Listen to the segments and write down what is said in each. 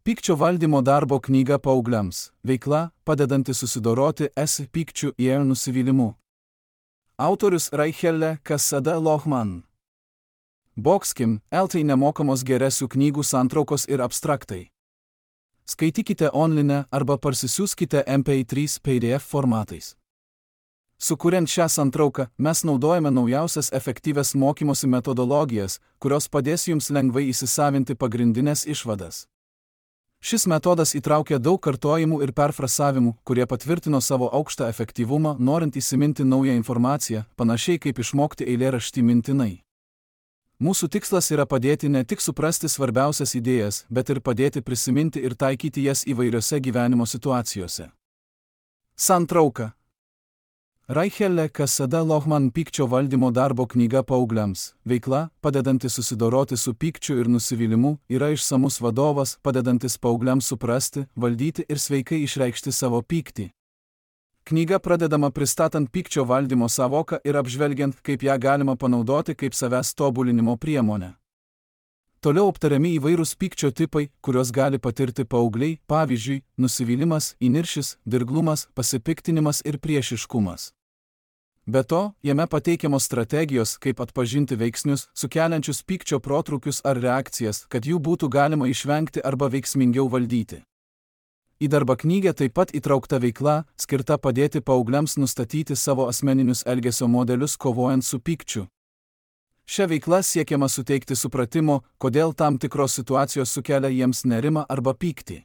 Pykčio valdymo darbo knyga paaugliams. Veikla, padedanti susidoroti su pykčiu ir nusivylimu. Autorius Raichelle Cassada Lohman. Boxkim, LT nemokamos geresių knygų santraukos ir abstraktai. Skaitykite online arba parsisiųskite MP3 PDF formatais. Sukuriant šią santrauką, mes naudojame naujausias efektyvias mokymosi metodologijas, kurios padės jums lengvai įsisavinti pagrindinės išvadas. Šis metodas įtraukia daug kartojimų ir perfrasavimų, kurie patvirtino savo aukštą efektyvumą, norint įsiminti naują informaciją, panašiai kaip išmokti eilėraštį mintinai. Mūsų tikslas yra padėti ne tik suprasti svarbiausias idėjas, bet ir padėti prisiminti ir taikyti jas įvairiose gyvenimo situacijose. Santrauka. Raichelle Cassada Lohman Pykčio valdymo darbo knyga paaugliams. Veikla, padedanti susidoroti su pykčiu ir nusivylimu, yra išsamus vadovas, padedantis paaugliams suprasti, valdyti ir sveikai išreikšti savo pyktį. Knyga pradedama pristatant pykčio valdymo sąvoką ir apžvelgiant, kaip ją galima panaudoti kaip savęs tobulinimo priemonę. Toliau aptariami įvairūs pykčio tipai, kuriuos gali patirti paaugliai, pavyzdžiui, nusivylimas, įniršis, dirglumas, pasipiktinimas ir priešiškumas. Be to, jame pateikiamos strategijos, kaip atpažinti veiksnius, sukeliančius pykčio protrūkius ar reakcijas, kad jų būtų galima išvengti arba veiksmingiau valdyti. Į darbo knygą taip pat įtraukta veikla, skirta padėti paaugliams nustatyti savo asmeninius elgesio modelius kovojant su pykčiu. Šia veikla siekiama suteikti supratimo, kodėl tam tikros situacijos sukelia jiems nerimą arba pyktį.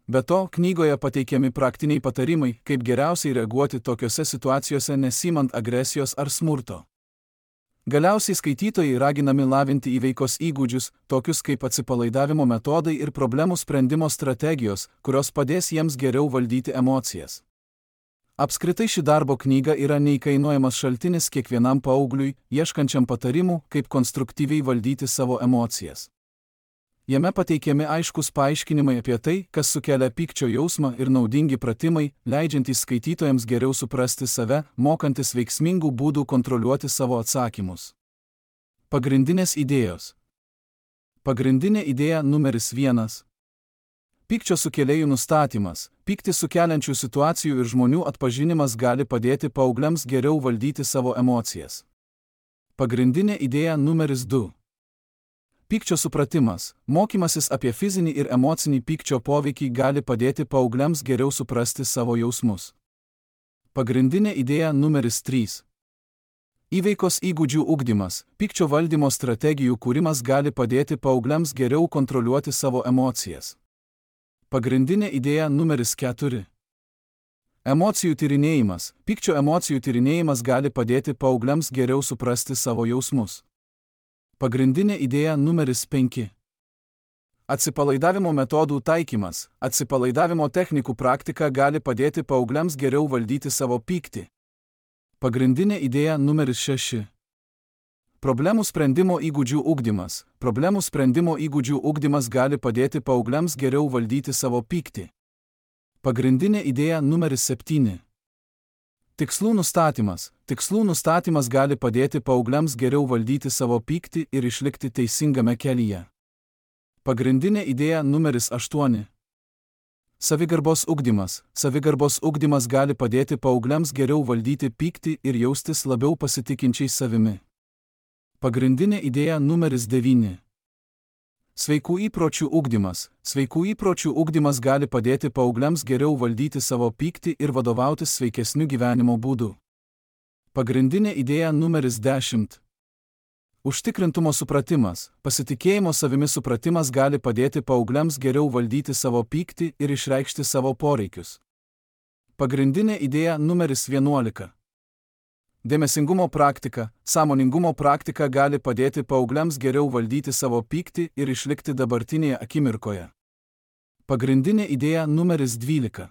Be to, knygoje pateikiami praktiniai patarimai, kaip geriausiai reaguoti tokiose situacijose nesimant agresijos ar smurto. Galiausiai skaitytojai raginami lavinti įveikos įgūdžius, tokius kaip atsipalaidavimo metodai ir problemų sprendimo strategijos, kurios padės jiems geriau valdyti emocijas. Apskritai ši darbo knyga yra neįkainojamas šaltinis kiekvienam paaugliui, ieškančiam patarimų, kaip konstruktyviai valdyti savo emocijas. Jame pateikiami aiškus paaiškinimai apie tai, kas sukelia pykčio jausmą ir naudingi pratimai, leidžiantys skaitytojams geriau suprasti save, mokantis veiksmingų būdų kontroliuoti savo atsakymus. Pagrindinės idėjos. Pagrindinė idėja numeris 1. Pykčio sukėlėjų nustatymas. Pyktį sukeliančių situacijų ir žmonių atpažinimas gali padėti paaugliams geriau valdyti savo emocijas. Pagrindinė idėja numeris 2. Pykčio supratimas. Mokymasis apie fizinį ir emocinį pykčio poveikį gali padėti paaugliams geriau suprasti savo jausmus. Pagrindinė idėja numeris 3. Įveikos įgūdžių ugdymas. Pykčio valdymo strategijų kūrimas gali padėti paaugliams geriau kontroliuoti savo emocijas. Pagrindinė idėja numeris 4. Emocijų tyrinėjimas. Pykčio emocijų tyrinėjimas gali padėti paaugliams geriau suprasti savo jausmus. Pagrindinė idėja numeris 5. Atsipalaidavimo metodų taikymas. Atsipalaidavimo technikų praktika gali padėti paaugliams geriau valdyti savo pyktį. Pagrindinė idėja numeris 6. Problemų sprendimo įgūdžių ugdymas. Problemų sprendimo įgūdžių ugdymas gali padėti paaugliams geriau valdyti savo pyktį. Pagrindinė idėja numeris 7. Tikslų nustatymas. Tikslų nustatymas gali padėti paaugliams geriau valdyti savo pyktį ir išlikti teisingame kelyje. Pagrindinė idėja numeris 8. Savigarbos ugdymas. Savigarbos ugdymas gali padėti paaugliams geriau valdyti pyktį ir jaustis labiau pasitikinčiais savimi. Pagrindinė idėja numeris 9. Sveikų įpročių ugdymas. Sveikų įpročių ugdymas gali padėti paaugliams geriau valdyti savo pyktį ir vadovautis sveikesniu gyvenimo būdu. Pagrindinė idėja numeris 10. Užtikrintumo supratimas. Pasitikėjimo savimi supratimas gali padėti paaugliams geriau valdyti savo pyktį ir išreikšti savo poreikius. Pagrindinė idėja numeris 11. Dėmesingumo praktika. Sąmoningumo praktika gali padėti paaugliams geriau valdyti savo pyktį ir išlikti dabartinėje akimirkoje. Pagrindinė idėja numeris 12.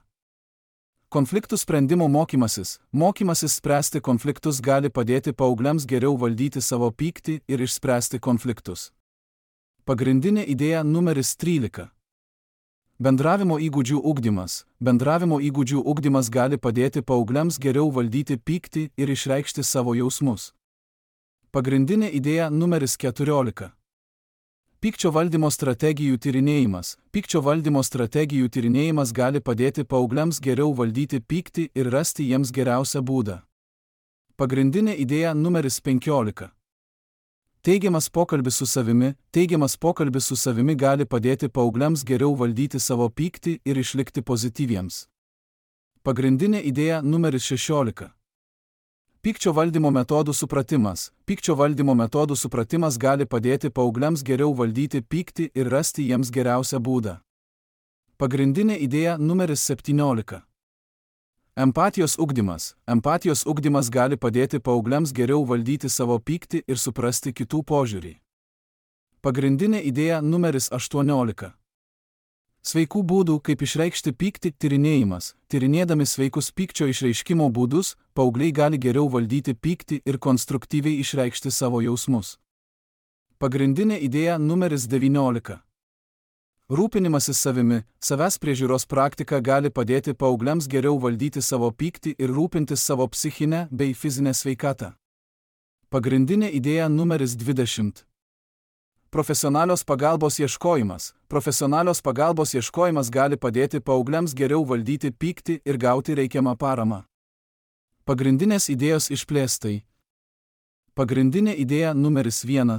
Konfliktų sprendimo mokymasis. Mokymasis spręsti konfliktus gali padėti paaugliams geriau valdyti savo pyktį ir išspręsti konfliktus. Pagrindinė idėja numeris 13. Bendravimo įgūdžių ugdymas. Bendravimo įgūdžių ugdymas gali padėti paaugliams geriau valdyti pyktį ir išreikšti savo jausmus. Pagrindinė idėja numeris 14. Pykčio valdymo strategijų tyrinėjimas. Pykčio valdymo strategijų tyrinėjimas gali padėti paaugliams geriau valdyti pyktį ir rasti jiems geriausią būdą. Pagrindinė idėja numeris 15. Teigiamas pokalbis su savimi. Teigiamas pokalbis su savimi gali padėti paaugliams geriau valdyti savo pyktį ir išlikti pozityviems. Pagrindinė idėja numeris 16. Pykčio valdymo metodų supratimas. Pykčio valdymo metodų supratimas gali padėti paaugliams geriau valdyti pyktį ir rasti jiems geriausią būdą. Pagrindinė idėja numeris 17. Empatijos ugdymas. Empatijos ugdymas gali padėti paaugliams geriau valdyti savo pyktį ir suprasti kitų požiūrį. Pagrindinė idėja numeris 18. Sveikų būdų, kaip išreikšti pyktį tyrinėjimas. Tyrinėdami sveikus pykčio išreiškimo būdus, paaugliai gali geriau valdyti pyktį ir konstruktyviai išreikšti savo jausmus. Pagrindinė idėja numeris 19. Rūpinimasis savimi. Savęs priežiūros praktika gali padėti paaugliams geriau valdyti savo pyktį ir rūpintis savo psichinę bei fizinę sveikatą. Pagrindinė idėja numeris 20. Profesionalios pagalbos ieškojimas. Profesionalios pagalbos ieškojimas gali padėti paaugliams geriau valdyti pyktį ir gauti reikiamą paramą. Pagrindinės idėjos išplėstai. Pagrindinė idėja numeris 1.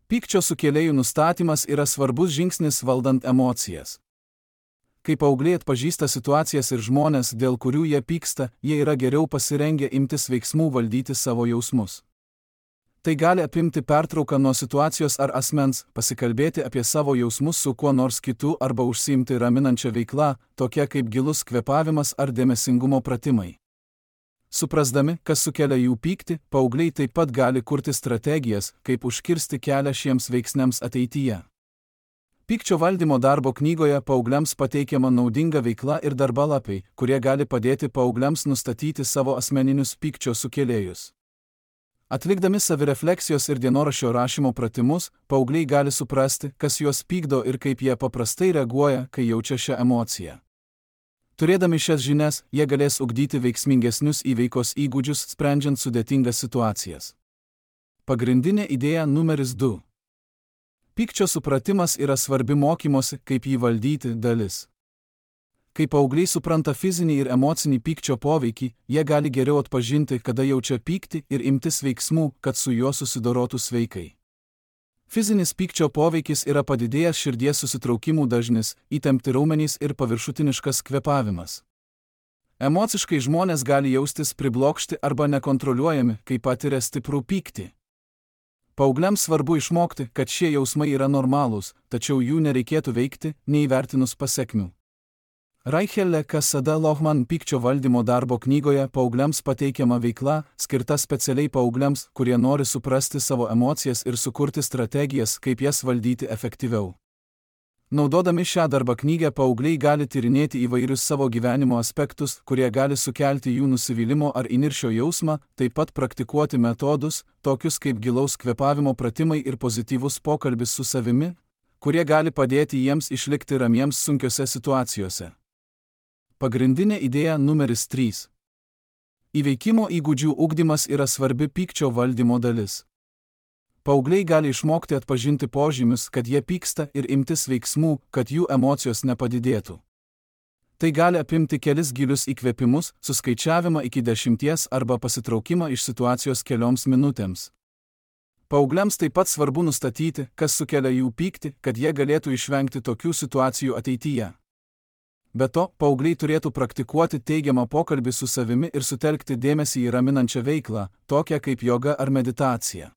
Pykčio sukėlėjų nustatymas yra svarbus žingsnis valdant emocijas. Kai paaugliai atpažįsta situacijas ir žmonės, dėl kurių jie pyksta, jie yra geriau pasirengę imtis veiksmų valdyti savo jausmus. Tai gali apimti pertrauką nuo situacijos ar asmens, pasikalbėti apie savo jausmus su kuo nors kitu arba užsiimti raminančią veiklą, tokia kaip gilus kvėpavimas ar dėmesingumo pratimai. Suprasdami, kas sukelia jų pyktį, paaugliai taip pat gali kurti strategijas, kaip užkirsti kelią šiems veiksniams ateityje. Pykčio valdymo darbo knygoje paaugliams pateikiama naudinga veikla ir darbalapiai, kurie gali padėti paaugliams nustatyti savo asmeninius pykčio sukėlėjus. Atlikdami savirefleksijos ir dienoraščio rašymo pratimus, paaugliai gali suprasti, kas juos pykdo ir kaip jie paprastai reaguoja, kai jaučia šią emociją. Turėdami šias žinias, jie galės ugdyti veiksmingesnius įveikos įgūdžius, sprendžiant sudėtingas situacijas. Pagrindinė idėja numeris 2. Pykčio supratimas yra svarbi mokymosi, kaip jį valdyti dalis. Kai paaugliai supranta fizinį ir emocinį pykčio poveikį, jie gali geriau atpažinti, kada jaučia pyktį ir imtis veiksmų, kad su juo susidorotų sveikai. Fizinis pykčio poveikis yra padidėjęs širdies susitraukimų dažnis, įtempti raumenys ir paviršutiniškas kvėpavimas. Emociškai žmonės gali jaustis priblokšti arba nekontroliuojami, kai patiria stiprų pyktį. Paaugliams svarbu išmokti, kad šie jausmai yra normalūs, tačiau jų nereikėtų veikti, neįvertinus pasekmių. Raichelle Cassada Lohman pykčio valdymo darbo knygoje paaugliams pateikiama veikla, skirta specialiai paaugliams, kurie nori suprasti savo emocijas ir sukurti strategijas, kaip jas valdyti efektyviau. Naudodami šią darbo knygą paaugliai gali tyrinėti įvairius savo gyvenimo aspektus, kurie gali sukelti jų nusivylimo ar įniršio jausmą, taip pat praktikuoti metodus, tokius kaip gilaus kvėpavimo pratimai ir pozityvus pokalbis su savimi, kurie gali padėti jiems išlikti ramiems sunkiose situacijose. Pagrindinė idėja numeris 3. Įveikimo įgūdžių ugdymas yra svarbi pykčio valdymo dalis. Paaugliai gali išmokti atpažinti požymius, kad jie pyksta ir imtis veiksmų, kad jų emocijos nepadidėtų. Tai gali apimti kelis gilius įkvėpimus, suskaičiavimą iki 10 arba pasitraukimą iš situacijos kelioms minutėms. Paaugliams taip pat svarbu nustatyti, kas sukelia jų pyktį, kad jie galėtų išvengti tokių situacijų ateityje. Be to, paaugliai turėtų praktikuoti teigiamą pokalbį su savimi ir sutelkti dėmesį į raminančią veiklą, tokią kaip joga ar meditacija.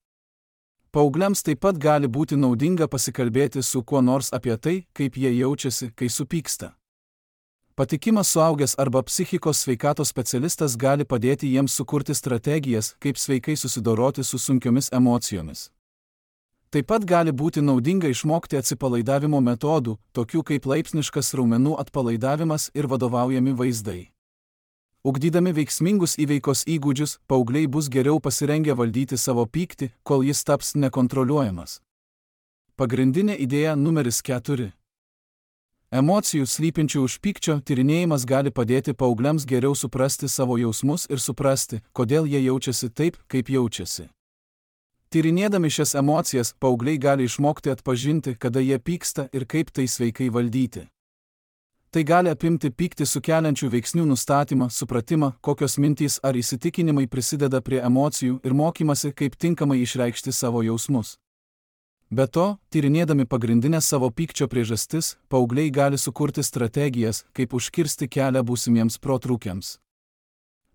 Paaugliams taip pat gali būti naudinga pasikalbėti su kuo nors apie tai, kaip jie jaučiasi, kai supyksta. Patikimas suaugęs arba psichikos sveikatos specialistas gali padėti jiems sukurti strategijas, kaip sveikai susidoroti su sunkiomis emocijomis. Taip pat gali būti naudinga išmokti atsipalaidavimo metodų, tokių kaip laipsniškas raumenų atpalaidavimas ir vadovaujami vaizdai. Ugdydami veiksmingus įveikos įgūdžius, paaugliai bus geriau pasirengę valdyti savo pyktį, kol jis taps nekontroliuojamas. Pagrindinė idėja numeris 4. Emocijų slypinčių už pykčio tyrinėjimas gali padėti paaugliams geriau suprasti savo jausmus ir suprasti, kodėl jie jaučiasi taip, kaip jaučiasi. Tyrinėdami šias emocijas, paaugliai gali išmokti atpažinti, kada jie pyksta ir kaip tai sveikai valdyti. Tai gali apimti pyktį sukeliančių veiksnių nustatymą, supratimą, kokios mintys ar įsitikinimai prisideda prie emocijų ir mokymasi, kaip tinkamai išreikšti savo jausmus. Be to, tyrinėdami pagrindinės savo pykčio priežastis, paaugliai gali sukurti strategijas, kaip užkirsti kelią būsimiems protrūkiams.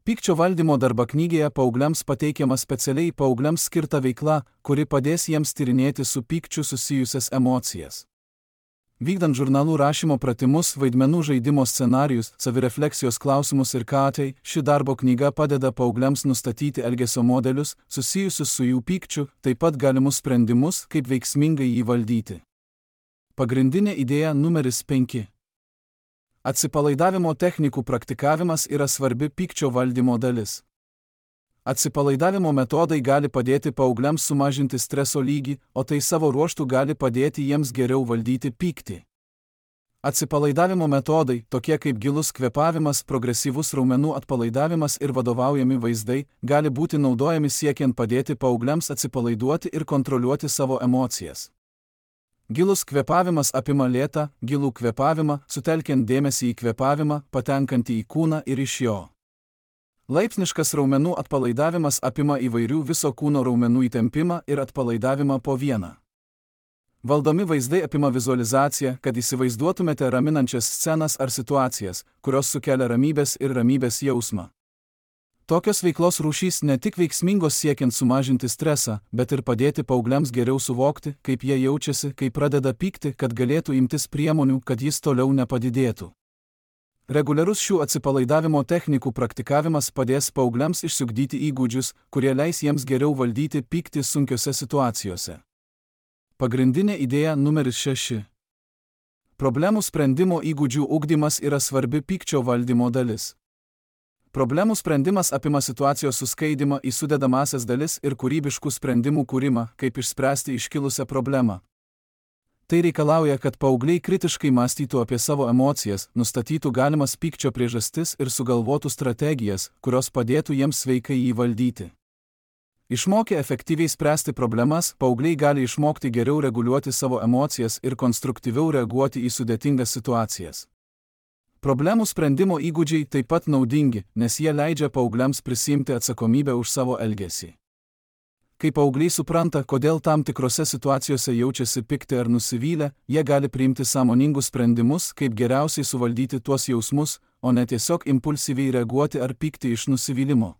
Pykčio valdymo darbaknygėje paaugliams pateikiama specialiai paaugliams skirta veikla, kuri padės jiems tyrinėti su pykčiu susijusias emocijas. Vykdant žurnalų rašymo pratimus, vaidmenų žaidimo scenarijus, savirefleksijos klausimus ir ką, ši darbo knyga padeda paaugliams nustatyti elgesio modelius, susijusius su jų pykčiu, taip pat galimus sprendimus, kaip veiksmingai jį valdyti. Pagrindinė idėja numeris 5. Atsipalaidavimo technikų praktikavimas yra svarbi pykčio valdymo dalis. Atsipalaidavimo metodai gali padėti paaugliams sumažinti streso lygį, o tai savo ruožtu gali padėti jiems geriau valdyti pyktį. Atsipalaidavimo metodai, tokie kaip gilus kvėpavimas, progresyvus raumenų atpalaidavimas ir vadovaujami vaizdai, gali būti naudojami siekiant padėti paaugliams atsipalaiduoti ir kontroliuoti savo emocijas. Gilus kvėpavimas apima lėtą, gilų kvėpavimą, sutelkiant dėmesį į kvėpavimą, patenkantį į kūną ir iš jo. Laipsniškas raumenų atpalaidavimas apima įvairių viso kūno raumenų įtempimą ir atpalaidavimą po vieną. Valdomi vaizdai apima vizualizaciją, kad įsivaizduotumėte raminančias scenas ar situacijas, kurios sukelia ramybės ir ramybės jausmą. Tokios veiklos rūšys ne tik veiksmingos siekiant sumažinti stresą, bet ir padėti paaugliams geriau suvokti, kaip jie jaučiasi, kai pradeda pykti, kad galėtų imtis priemonių, kad jis toliau nepadidėtų. Reguliarus šių atsipalaidavimo technikų praktikavimas padės paaugliams išsiugdyti įgūdžius, kurie leis jiems geriau valdyti pyktį sunkiose situacijose. Pagrindinė idėja numeris 6. Problemų sprendimo įgūdžių ugdymas yra svarbi pykčio valdymo dalis. Problemų sprendimas apima situacijos suskaidymą į sudedamąsias dalis ir kūrybiškų sprendimų kūrimą, kaip išspręsti iškilusią problemą. Tai reikalauja, kad paaugliai kritiškai mąstytų apie savo emocijas, nustatytų galimas pykčio priežastis ir sugalvotų strategijas, kurios padėtų jiems sveikai jį valdyti. Išmokę efektyviai spręsti problemas, paaugliai gali išmokti geriau reguliuoti savo emocijas ir konstruktyviau reaguoti į sudėtingas situacijas. Problemų sprendimo įgūdžiai taip pat naudingi, nes jie leidžia paaugliams prisiimti atsakomybę už savo elgesį. Kai paaugliai supranta, kodėl tam tikrose situacijose jaučiasi pikti ar nusivylę, jie gali priimti sąmoningus sprendimus, kaip geriausiai suvaldyti tuos jausmus, o ne tiesiog impulsyviai reaguoti ar pykti iš nusivylimo.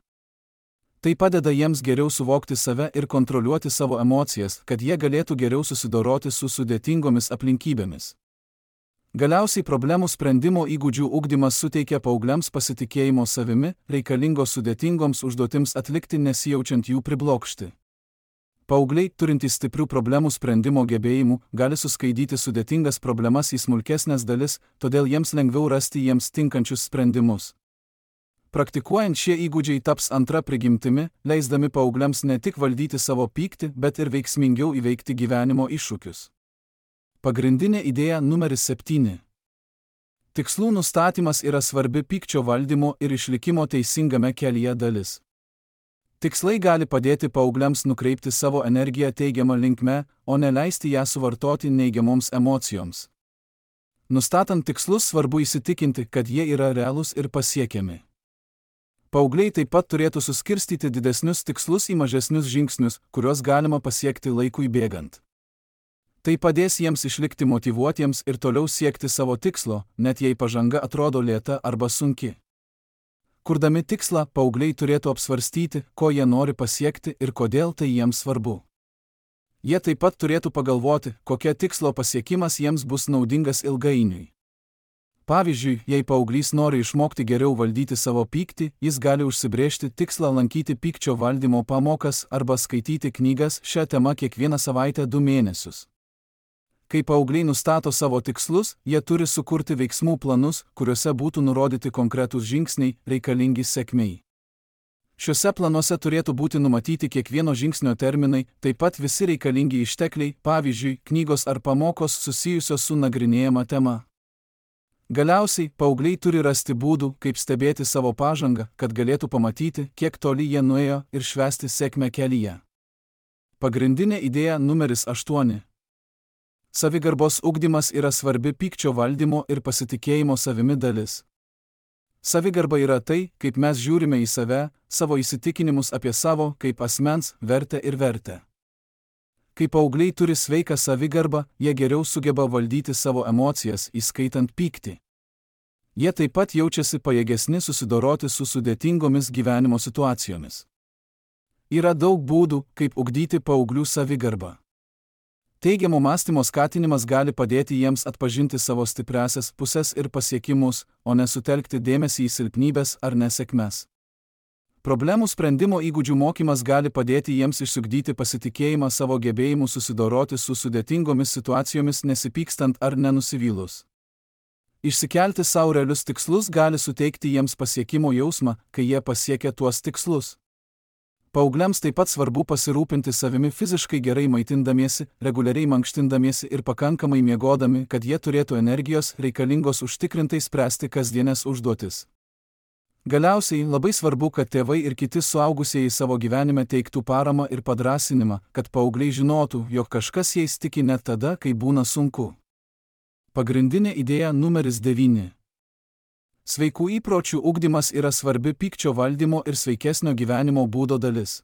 Tai padeda jiems geriau suvokti save ir kontroliuoti savo emocijas, kad jie galėtų geriau susidoroti su sudėtingomis aplinkybėmis. Galiausiai problemų sprendimo įgūdžių ugdymas suteikia paaugliams pasitikėjimo savimi, reikalingo sudėtingoms užduotims atlikti nesijaučiant jų priblokšti. Paaugliai, turintys stiprių problemų sprendimo gebėjimų, gali suskaidyti sudėtingas problemas į smulkesnės dalis, todėl jiems lengviau rasti jiems tinkančius sprendimus. Praktikuojant šie įgūdžiai taps antra prigimtimi, leisdami paaugliams ne tik valdyti savo pyktį, bet ir veiksmingiau įveikti gyvenimo iššūkius. Pagrindinė idėja numeris 7. Tikslų nustatymas yra svarbi pykčio valdymo ir išlikimo teisingame kelyje dalis. Tikslai gali padėti paaugliams nukreipti savo energiją teigiamą linkme, o ne leisti ją suvartoti neigiamoms emocijoms. Nustatant tikslus svarbu įsitikinti, kad jie yra realūs ir pasiekiami. Paaugliai taip pat turėtų suskirstyti didesnius tikslus į mažesnius žingsnius, kuriuos galima pasiekti laikui bėgant. Tai padės jiems išlikti motyvuotiems ir toliau siekti savo tikslo, net jei pažanga atrodo lėta arba sunki. Kurdami tikslą, paaugliai turėtų apsvarstyti, ko jie nori pasiekti ir kodėl tai jiems svarbu. Jie taip pat turėtų pagalvoti, kokia tikslo pasiekimas jiems bus naudingas ilgainiui. Pavyzdžiui, jei paauglys nori išmokti geriau valdyti savo pyktį, jis gali užsibrėžti tikslą lankyti pykčio valdymo pamokas arba skaityti knygas šią temą kiekvieną savaitę 2 mėnesius. Kai paaugliai nustato savo tikslus, jie turi sukurti veiksmų planus, kuriuose būtų nurodyti konkretūs žingsniai, reikalingi sėkmei. Šiuose planuose turėtų būti numatyti kiekvieno žingsnio terminai, taip pat visi reikalingi ištekliai, pavyzdžiui, knygos ar pamokos susijusios su nagrinėjama tema. Galiausiai, paaugliai turi rasti būdų, kaip stebėti savo pažangą, kad galėtų pamatyti, kiek toli jie nuėjo ir švęsti sėkmę kelyje. Pagrindinė idėja numeris 8. Savigarbos ugdymas yra svarbi pykčio valdymo ir pasitikėjimo savimi dalis. Savigarba yra tai, kaip mes žiūrime į save, savo įsitikinimus apie savo, kaip asmens, vertę ir vertę. Kai paaugliai turi sveiką savigarbą, jie geriau sugeba valdyti savo emocijas, įskaitant pyktį. Jie taip pat jaučiasi pajėgesni susidoroti su sudėtingomis gyvenimo situacijomis. Yra daug būdų, kaip ugdyti paauglių savigarbą. Teigiamo mąstymo skatinimas gali padėti jiems atpažinti savo stipriąsias pusės ir pasiekimus, o ne sutelkti dėmesį į silpnybes ar nesėkmes. Problemų sprendimo įgūdžių mokymas gali padėti jiems išsiugdyti pasitikėjimą savo gebėjimu susidoroti su sudėtingomis situacijomis nesipykstant ar nenusivylus. Išsikelti savo realius tikslus gali suteikti jiems pasiekimo jausmą, kai jie pasiekia tuos tikslus. Paaugliams taip pat svarbu pasirūpinti savimi fiziškai gerai maitindamiesi, reguliariai mankštindamiesi ir pakankamai miegodami, kad jie turėtų energijos reikalingos užtikrintai spręsti kasdienės užduotis. Galiausiai labai svarbu, kad tėvai ir kiti suaugusieji savo gyvenime teiktų paramą ir padrąsinimą, kad paaugliai žinotų, jog kažkas jais tiki net tada, kai būna sunku. Pagrindinė idėja numeris 9. Sveikų įpročių ugdymas yra svarbi pykčio valdymo ir sveikesnio gyvenimo būdo dalis.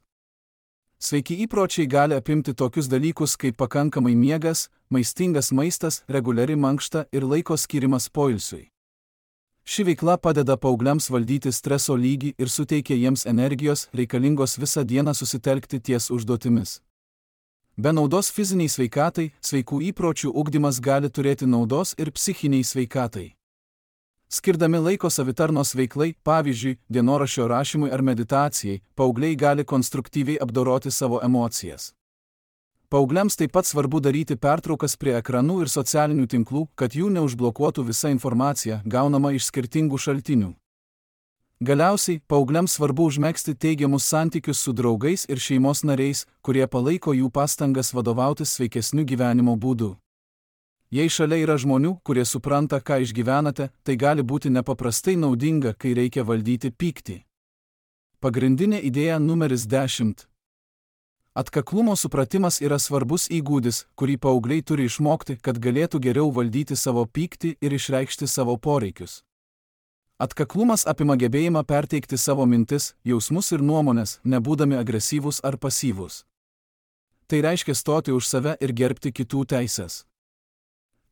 Sveiki įpročiai gali apimti tokius dalykus kaip pakankamai miegas, maistingas maistas, reguliari mankšta ir laiko skirimas poilsiui. Ši veikla padeda paaugliams valdyti streso lygį ir suteikia jiems energijos reikalingos visą dieną susitelkti ties užduotimis. Be naudos fiziniai sveikatai, sveikų įpročių ugdymas gali turėti naudos ir psichiniai sveikatai. Skirdami laiko savitarnos veiklai, pavyzdžiui, dienoraščio rašymui ar meditacijai, paaugliai gali konstruktyviai apdoroti savo emocijas. Paaugliams taip pat svarbu daryti pertraukas prie ekranų ir socialinių tinklų, kad jų neužblokuotų visa informacija, gaunama iš skirtingų šaltinių. Galiausiai, paaugliams svarbu užmegzti teigiamus santykius su draugais ir šeimos nariais, kurie palaiko jų pastangas vadovautis sveikesniu gyvenimo būdu. Jei šalia yra žmonių, kurie supranta, ką išgyvenate, tai gali būti nepaprastai naudinga, kai reikia valdyti pyktį. Pagrindinė idėja numeris 10. Atkaklumo supratimas yra svarbus įgūdis, kurį paaugliai turi išmokti, kad galėtų geriau valdyti savo pyktį ir išreikšti savo poreikius. Atkaklumas apima gebėjimą perteikti savo mintis, jausmus ir nuomonės, nebūdami agresyvūs ar pasyvūs. Tai reiškia stoti už save ir gerbti kitų teises.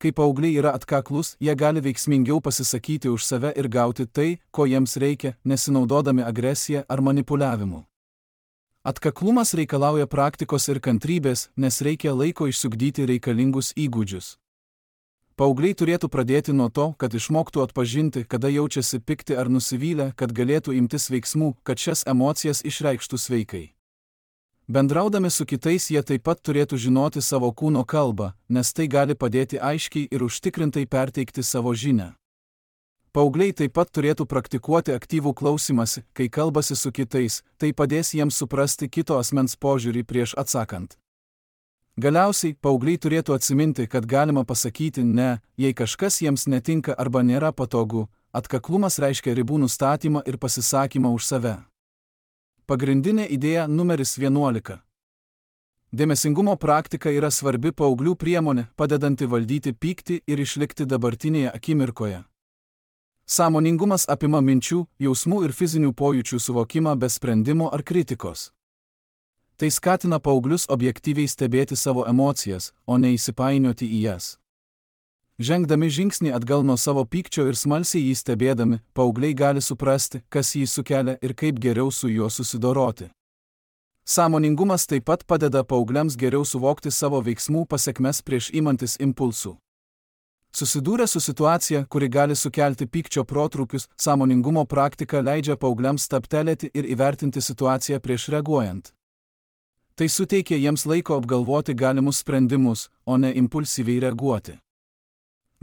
Kai paaugliai yra atkaklus, jie gali veiksmingiau pasisakyti už save ir gauti tai, ko jiems reikia, nesinaudodami agresiją ar manipuliavimu. Atkaklumas reikalauja praktikos ir kantrybės, nes reikia laiko išsiugdyti reikalingus įgūdžius. Paaugliai turėtų pradėti nuo to, kad išmoktų atpažinti, kada jaučiasi pikti ar nusivylę, kad galėtų imtis veiksmų, kad šias emocijas išreikštų sveikai. Bendraudami su kitais jie taip pat turėtų žinoti savo kūno kalbą, nes tai gali padėti aiškiai ir užtikrintai perteikti savo žinią. Paaugliai taip pat turėtų praktikuoti aktyvų klausymąsi, kai kalbasi su kitais, tai padės jiems suprasti kito asmens požiūrį prieš atsakant. Galiausiai, paaugliai turėtų atsiminti, kad galima pasakyti ne, jei kažkas jiems netinka arba nėra patogu. Atkaklumas reiškia ribų nustatymą ir pasisakymą už save. Pagrindinė idėja numeris 11. Dėmesingumo praktika yra svarbi paauglių priemonė, padedanti valdyti pyktį ir išlikti dabartinėje akimirkoje. Sąmoningumas apima minčių, jausmų ir fizinių pojūčių suvokimą be sprendimo ar kritikos. Tai skatina paauglius objektyviai stebėti savo emocijas, o ne įsipainioti į jas. Žengdami žingsnį atgal nuo savo pykčio ir smalsiai jį stebėdami, paaugliai gali suprasti, kas jį sukelia ir kaip geriau su juo susidoroti. Sąmoningumas taip pat padeda paaugliams geriau suvokti savo veiksmų pasekmes prieš imantis impulsų. Susidūrę su situacija, kuri gali sukelti pykčio protrūkius, sąmoningumo praktika leidžia paaugliams stabtelėti ir įvertinti situaciją prieš reaguojant. Tai suteikia jiems laiko apgalvoti galimus sprendimus, o ne impulsyviai reaguoti.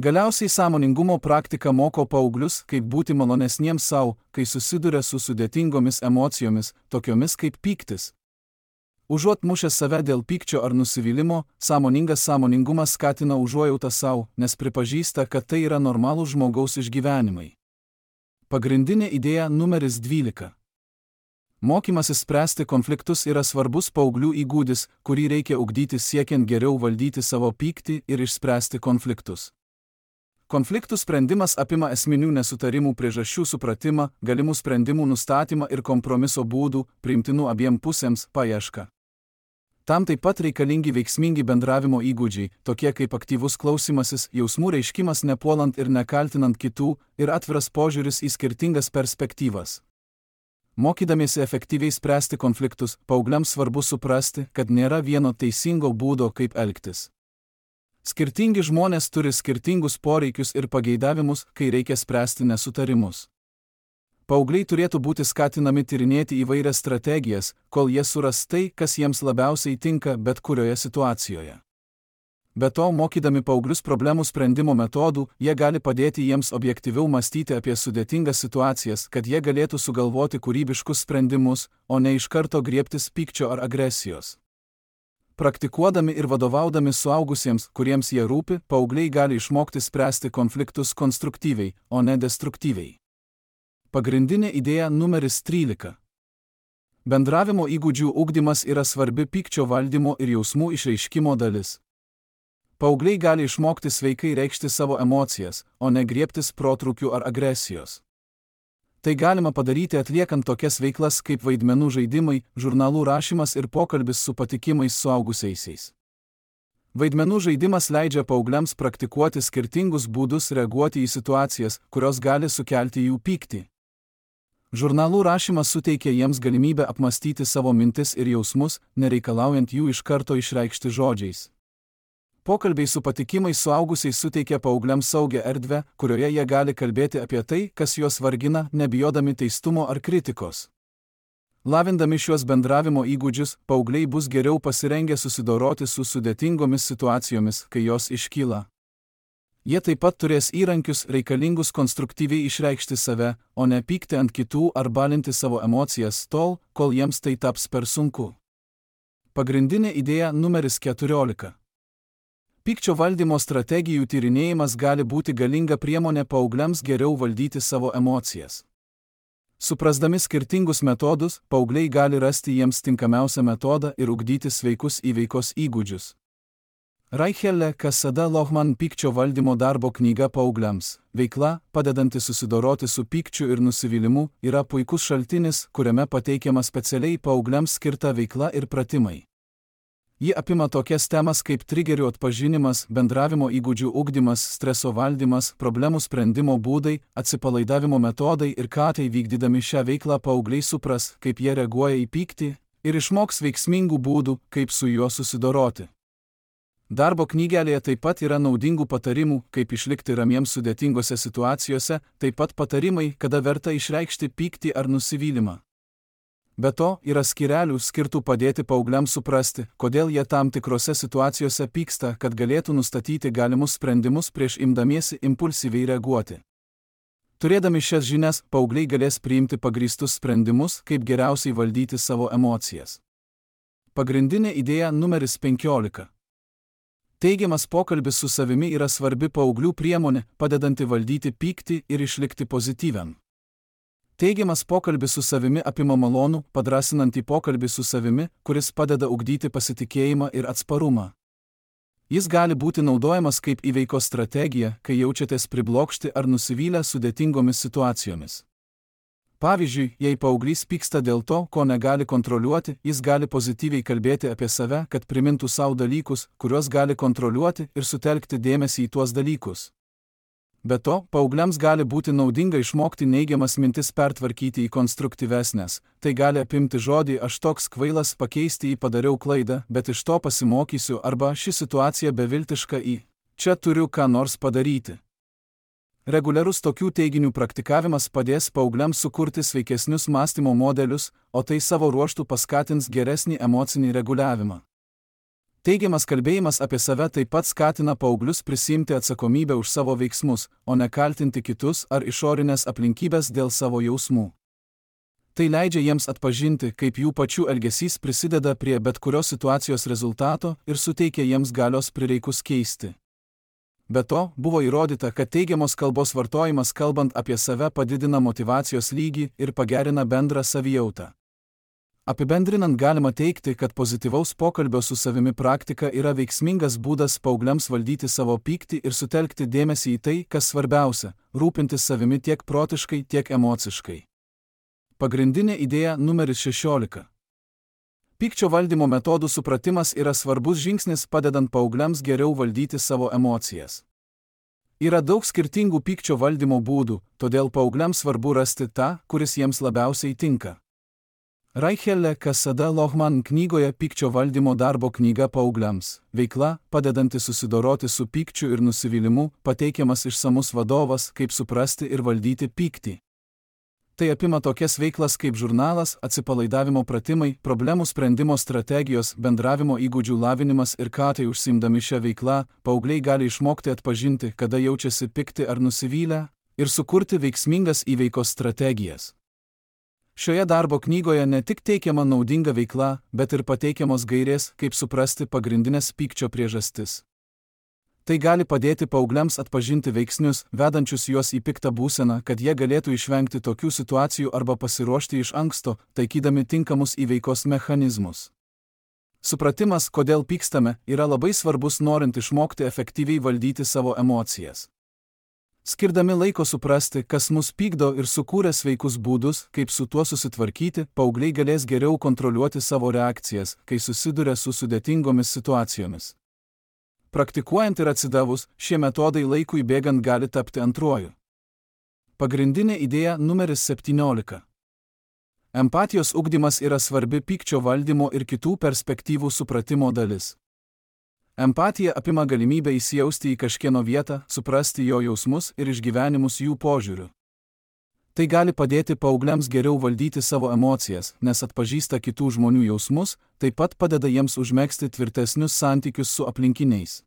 Galiausiai sąmoningumo praktika moko paauglius, kaip būti malonesniems savo, kai susiduria su sudėtingomis emocijomis, tokiomis kaip pyktis. Užuot mušęs save dėl pykčio ar nusivylimo, sąmoningas sąmoningumas skatina užuojautą savo, nes pripažįsta, kad tai yra normalūs žmogaus išgyvenimai. Pagrindinė idėja numeris 12. Mokymasis spręsti konfliktus yra svarbus paauglių įgūdis, kurį reikia ugdyti siekiant geriau valdyti savo pyktį ir išspręsti konfliktus. Konfliktų sprendimas apima esminių nesutarimų priežasčių supratimą, galimų sprendimų nustatymą ir kompromiso būdų, priimtinų abiem pusėms, paiešką. Tam taip pat reikalingi veiksmingi bendravimo įgūdžiai, tokie kaip aktyvus klausymasis, jausmų reiškimas nepuolant ir nekaltinant kitų, ir atviras požiūris į skirtingas perspektyvas. Mokydamiesi efektyviai spręsti konfliktus, paaugliams svarbu suprasti, kad nėra vieno teisingo būdo, kaip elgtis. Skirtingi žmonės turi skirtingus poreikius ir pageidavimus, kai reikia spręsti nesutarimus. Paaugliai turėtų būti skatinami tyrinėti įvairias strategijas, kol jie suras tai, kas jiems labiausiai tinka bet kurioje situacijoje. Be to, mokydami paauglius problemų sprendimo metodų, jie gali padėti jiems objektyviau mąstyti apie sudėtingas situacijas, kad jie galėtų sugalvoti kūrybiškus sprendimus, o ne iš karto griebtis pykčio ar agresijos. Praktikuodami ir vadovaudami suaugusiems, kuriems jie rūpi, paaugliai gali išmokti spręsti konfliktus konstruktyviai, o ne destruktyviai. Pagrindinė idėja numeris 13. Bendravimo įgūdžių ugdymas yra svarbi pykčio valdymo ir jausmų išreiškimo dalis. Paaugliai gali išmokti sveikai reikšti savo emocijas, o ne griebtis protrūkių ar agresijos. Tai galima padaryti atliekant tokias veiklas kaip vaidmenų žaidimai, žurnalų rašymas ir pokalbis su patikimais suaugusiaisiais. Vaidmenų žaidimas leidžia paaugliams praktikuoti skirtingus būdus reaguoti į situacijas, kurios gali sukelti jų pyktį. Žurnalų rašymas suteikia jiems galimybę apmastyti savo mintis ir jausmus, nereikalaujant jų iš karto išreikšti žodžiais. Pokalbiai su patikimais suaugusiais suteikia paaugliams saugią erdvę, kurioje jie gali kalbėti apie tai, kas juos vargina, nebijodami teistumo ar kritikos. Lavindami šiuos bendravimo įgūdžius, paaugliai bus geriau pasirengę susidoroti su sudėtingomis situacijomis, kai jos iškyla. Jie taip pat turės įrankius reikalingus konstruktyviai išreikšti save, o ne pykti ant kitų ar balinti savo emocijas tol, kol jiems tai taps per sunku. Pagrindinė idėja numeris 14. Pykčio valdymo strategijų tyrinėjimas gali būti galinga priemonė paaugliams geriau valdyti savo emocijas. Suprasdami skirtingus metodus, paaugliai gali rasti jiems tinkamiausią metodą ir ugdyti sveikus įveikos įgūdžius. Raichelle Cassada Lohman pykčio valdymo darbo knyga paaugliams. Veikla, padedanti susidoroti su pykčiu ir nusivylimu, yra puikus šaltinis, kuriame pateikiama specialiai paaugliams skirta veikla ir pratimai. Ji apima tokias temas kaip trigerių atpažinimas, bendravimo įgūdžių ugdymas, streso valdymas, problemų sprendimo būdai, atsipalaidavimo metodai ir ką tai vykdydami šią veiklą paaugliai supras, kaip jie reaguoja į pyktį ir išmoks veiksmingų būdų, kaip su juo susidoroti. Darbo knygelėje taip pat yra naudingų patarimų, kaip išlikti ramiems sudėtingose situacijose, taip pat patarimai, kada verta išreikšti pyktį ar nusivylimą. Be to, yra skyrelių skirtų padėti paaugliams suprasti, kodėl jie tam tikrose situacijose pyksta, kad galėtų nustatyti galimus sprendimus prieš imdamiesi impulsyviai reaguoti. Turėdami šias žinias, paaugliai galės priimti pagrįstus sprendimus, kaip geriausiai valdyti savo emocijas. Pagrindinė idėja numeris 15. Teigiamas pokalbis su savimi yra svarbi paauglių priemonė, padedanti valdyti pyktį ir išlikti pozityviam. Teigiamas pokalbis su savimi apima malonų, padrasinantį pokalbį su savimi, kuris padeda ugdyti pasitikėjimą ir atsparumą. Jis gali būti naudojamas kaip įveikos strategija, kai jaučiatės priblokšti ar nusivylę sudėtingomis situacijomis. Pavyzdžiui, jei paauglys pyksta dėl to, ko negali kontroliuoti, jis gali pozityviai kalbėti apie save, kad primintų savo dalykus, kuriuos gali kontroliuoti ir sutelkti dėmesį į tuos dalykus. Be to, paaugliams gali būti naudinga išmokti neigiamas mintis pertvarkyti į konstruktyvesnės. Tai gali apimti žodį aš toks kvailas pakeisti į padariau klaidą, bet iš to pasimokysiu arba ši situacija beviltiška į čia turiu ką nors padaryti. Reguliarus tokių teiginių praktikavimas padės paaugliams sukurti sveikesnius mąstymo modelius, o tai savo ruožtu paskatins geresnį emocinį reguliavimą. Teigiamas kalbėjimas apie save taip pat skatina paauglius prisiimti atsakomybę už savo veiksmus, o ne kaltinti kitus ar išorinės aplinkybės dėl savo jausmų. Tai leidžia jiems atpažinti, kaip jų pačių elgesys prisideda prie bet kurios situacijos rezultato ir suteikia jiems galios prireikus keisti. Be to, buvo įrodyta, kad teigiamos kalbos vartojimas kalbant apie save padidina motyvacijos lygį ir pagerina bendrą savijautą. Apibendrinant galima teikti, kad pozityvaus pokalbio su savimi praktika yra veiksmingas būdas paaugliams valdyti savo pyktį ir sutelkti dėmesį į tai, kas svarbiausia – rūpintis savimi tiek protiškai, tiek emociškai. Pagrindinė idėja numeris 16. Pykčio valdymo metodų supratimas yra svarbus žingsnis padedant paaugliams geriau valdyti savo emocijas. Yra daug skirtingų pykčio valdymo būdų, todėl paaugliams svarbu rasti tą, kuris jiems labiausiai tinka. Raichelle Cassada Lohman knygoje Pykčio valdymo darbo knyga paaugliams – veikla, padedanti susidoroti su pykčiu ir nusivylimu, pateikiamas išsamus vadovas, kaip suprasti ir valdyti pyktį. Tai apima tokias veiklas kaip žurnalas, atsipalaidavimo pratimai, problemų sprendimo strategijos, bendravimo įgūdžių lavinimas ir ką tai užsiimdami šią veiklą, paaugliai gali išmokti atpažinti, kada jaučiasi pikti ar nusivylę, ir sukurti veiksmingas įveikos strategijas. Šioje darbo knygoje ne tik teikiama naudinga veikla, bet ir pateikiamos gairės, kaip suprasti pagrindinės pykčio priežastis. Tai gali padėti paaugliams atpažinti veiksnius, vedančius juos į piktą būseną, kad jie galėtų išvengti tokių situacijų arba pasiruošti iš anksto, taikydami tinkamus įveikos mechanizmus. Supratimas, kodėl pykstame, yra labai svarbus norint išmokti efektyviai valdyti savo emocijas. Skirdami laiko suprasti, kas mus pykdo ir sukūrę sveikus būdus, kaip su tuo susitvarkyti, paaugliai galės geriau kontroliuoti savo reakcijas, kai susiduria su sudėtingomis situacijomis. Praktikuojant ir atsidavus, šie metodai laikui bėgant gali tapti antruoju. Pagrindinė idėja numeris 17. Empatijos ugdymas yra svarbi pykčio valdymo ir kitų perspektyvų supratimo dalis. Empatija apima galimybę įsijausti į kažkieno vietą, suprasti jo jausmus ir išgyvenimus jų požiūriu. Tai gali padėti paaugliams geriau valdyti savo emocijas, nes atpažįsta kitų žmonių jausmus, taip pat padeda jiems užmegzti tvirtesnius santykius su aplinkiniais.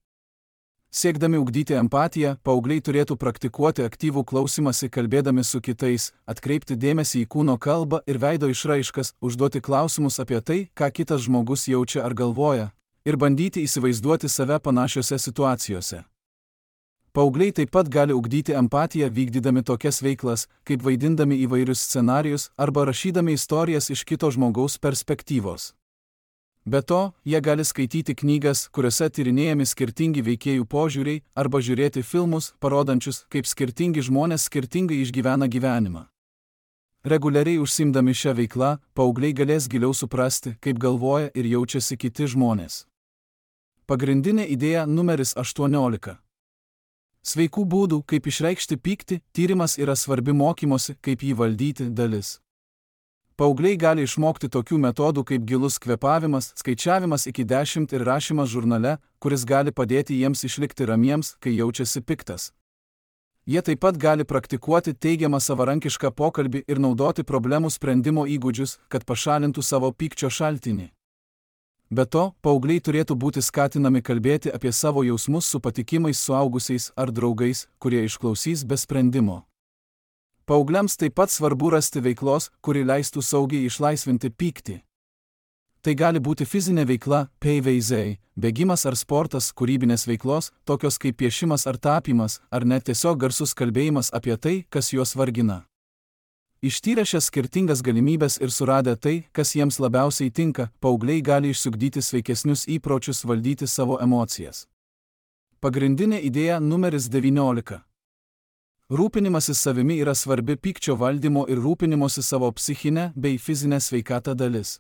Siekdami ugdyti empatiją, paaugliai turėtų praktikuoti aktyvų klausymąsi kalbėdami su kitais, atkreipti dėmesį į kūno kalbą ir veido išraiškas, užduoti klausimus apie tai, ką kitas žmogus jaučia ar galvoja, ir bandyti įsivaizduoti save panašiose situacijose. Paaugliai taip pat gali ugdyti empatiją vykdydami tokias veiklas, kaip vaidindami įvairius scenarijus arba rašydami istorijas iš kito žmogaus perspektyvos. Be to, jie gali skaityti knygas, kuriuose tyrinėjami skirtingi veikėjų požiūriai, arba žiūrėti filmus, parodančius, kaip skirtingi žmonės skirtingai išgyvena gyvenimą. Reguliariai užsiimdami šią veiklą, paaugliai galės giliau suprasti, kaip galvoja ir jaučiasi kiti žmonės. Pagrindinė idėja numeris 18. Sveikų būdų, kaip išreikšti pyktį, tyrimas yra svarbi mokymosi, kaip jį valdyti dalis. Paaugliai gali išmokti tokių metodų kaip gilus kvėpavimas, skaičiavimas iki 10 ir rašymas žurnale, kuris gali padėti jiems išlikti ramiems, kai jaučiasi piktas. Jie taip pat gali praktikuoti teigiamą savarankišką pokalbį ir naudoti problemų sprendimo įgūdžius, kad pašalintų savo pykčio šaltinį. Be to, paaugliai turėtų būti skatinami kalbėti apie savo jausmus su patikimais suaugusiais ar draugais, kurie išklausys be sprendimo. Paaugliams taip pat svarbu rasti veiklos, kuri leistų saugiai išlaisvinti pyktį. Tai gali būti fizinė veikla, PVZ, bėgimas ar sportas, kūrybinės veiklos, tokios kaip piešimas ar tapymas, ar net tiesiog garsus kalbėjimas apie tai, kas juos vargina. Ištyrę šias skirtingas galimybės ir suradę tai, kas jiems labiausiai tinka, paaugliai gali išsiugdyti sveikesnius įpročius valdyti savo emocijas. Pagrindinė idėja numeris 19. Rūpinimasis savimi yra svarbi pykčio valdymo ir rūpinimosi savo psichinę bei fizinę sveikatą dalis.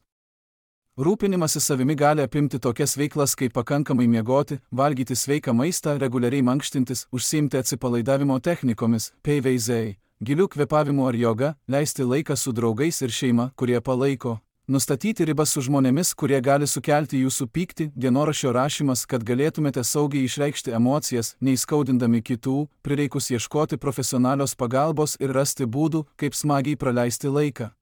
Rūpinimasis savimi gali apimti tokias veiklas kaip pakankamai miegoti, valgyti sveiką maistą, reguliariai mankštintis, užsiimti atsipalaidavimo technikomis, PVZ, gilių kvėpavimų ar joga, leisti laiką su draugais ir šeima, kurie palaiko, nustatyti ribas su žmonėmis, kurie gali sukelti jūsų pyktį, dienoraščio rašymas, kad galėtumėte saugiai išreikšti emocijas, neįskaudindami kitų, prireikus ieškoti profesionalios pagalbos ir rasti būdų, kaip smagiai praleisti laiką.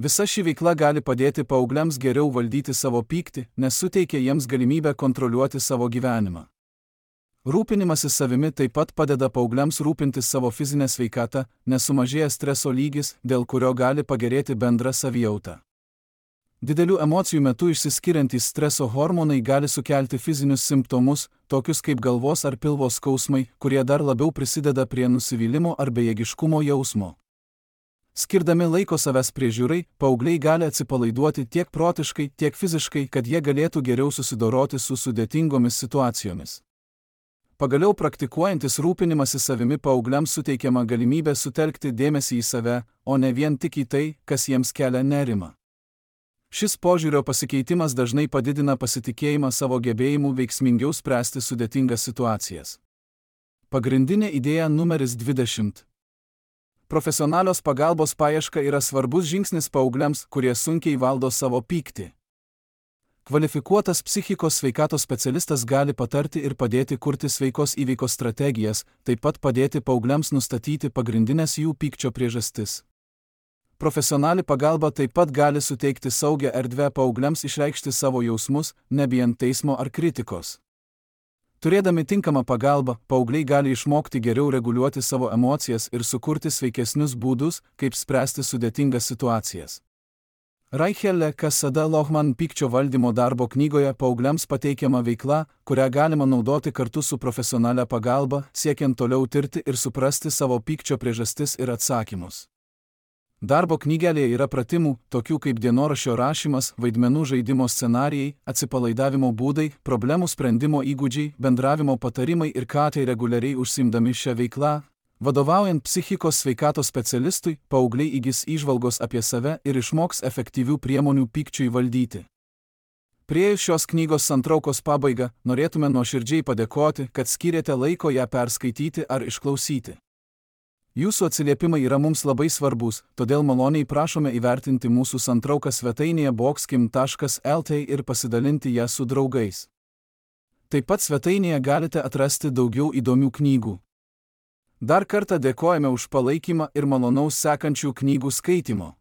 Visa ši veikla gali padėti paaugliams geriau valdyti savo pyktį, nes suteikia jiems galimybę kontroliuoti savo gyvenimą. Rūpinimasis savimi taip pat padeda paaugliams rūpintis savo fizinę sveikatą, nes sumažėja streso lygis, dėl kurio gali pagerėti bendra savijauta. Didelių emocijų metu išsiskiriantys streso hormonai gali sukelti fizinius simptomus, tokius kaip galvos ar pilvo skausmai, kurie dar labiau prisideda prie nusivylimo ar bejėgiškumo jausmo. Skirdami laiko savęs priežiūrai, paaugliai gali atsipalaiduoti tiek protiškai, tiek fiziškai, kad jie galėtų geriau susidoroti su sudėtingomis situacijomis. Pagaliau praktikuojantis rūpinimąsi savimi paaugliams suteikiama galimybė sutelkti dėmesį į save, o ne vien tik į tai, kas jiems kelia nerimą. Šis požiūrio pasikeitimas dažnai padidina pasitikėjimą savo gebėjimu veiksmingiau spręsti sudėtingas situacijas. Pagrindinė idėja numeris 20. Profesionalios pagalbos paieška yra svarbus žingsnis paaugliams, kurie sunkiai valdo savo pyktį. Kvalifikuotas psichikos sveikatos specialistas gali patarti ir padėti kurti sveikos įveikos strategijas, taip pat padėti paaugliams nustatyti pagrindinės jų pykčio priežastis. Profesionali pagalba taip pat gali suteikti saugią erdvę paaugliams išreikšti savo jausmus, nebijant teismo ar kritikos. Turėdami tinkamą pagalbą, paaugliai gali išmokti geriau reguliuoti savo emocijas ir sukurti sveikesnius būdus, kaip spręsti sudėtingas situacijas. Raichelle Cassada Lohman pykčio valdymo darbo knygoje paaugliams pateikiama veikla, kurią galima naudoti kartu su profesionalia pagalba, siekiant toliau tirti ir suprasti savo pykčio priežastis ir atsakymus. Darbo knygelėje yra pratimų, tokių kaip dienoraščio rašymas, vaidmenų žaidimo scenarijai, atsipalaidavimo būdai, problemų sprendimo įgūdžiai, bendravimo patarimai ir ką tai reguliariai užsiimdami šią veiklą. Vadovaujant psichikos sveikatos specialistui, paaugliai įgis įžvalgos apie save ir išmoks efektyvių priemonių pykčiui valdyti. Priėjus šios knygos santraukos pabaigą, norėtume nuoširdžiai padėkoti, kad skyrėte laiko ją perskaityti ar išklausyti. Jūsų atsiliepimai yra mums labai svarbus, todėl maloniai prašome įvertinti mūsų santrauką svetainėje boxkim.lt ir pasidalinti ją su draugais. Taip pat svetainėje galite atrasti daugiau įdomių knygų. Dar kartą dėkojame už palaikymą ir malonaus sekančių knygų skaitimo.